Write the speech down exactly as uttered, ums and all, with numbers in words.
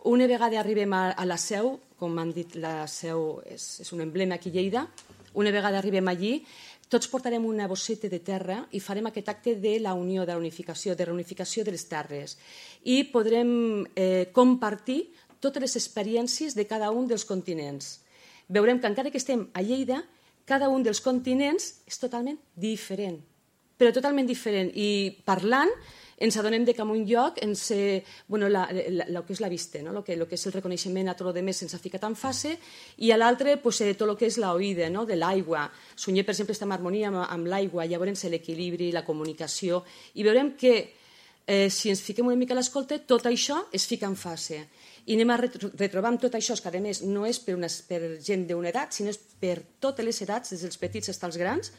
Una vegada arribem a, a la Seu, com han dit, la Seu és, és un emblema aquí a Lleida, una vegada arribem allí, tots portarem una bosseta de terra i farem aquest acte de la unió, de la unificació, de reunificació de les terres. I podrem eh, compartir totes les experiències de cada un dels continents. Veurem que encara que estem a Lleida, cada un dels continents és totalment diferent, però totalment diferent. I parlant ens adonem que en un lloc ens, eh, bueno, la, la, la, que és la vista, no? lo, que, lo que és el reconeixement a tot el que se'ns ha ficat en fase, i a l'altre pues, eh, tot el que és l'oïda, no? de l'aigua. Sunyer, per exemple, està en harmonia amb, amb l'aigua, llavors l'equilibri, la comunicació, i veurem que eh, si ens fiquem una mica a l'escolta, tot això es fica en fase. I anem a retrobar tot això, que a més no és per, una, per gent d'una edat, sinó és per totes les edats, des dels petits fins als grans,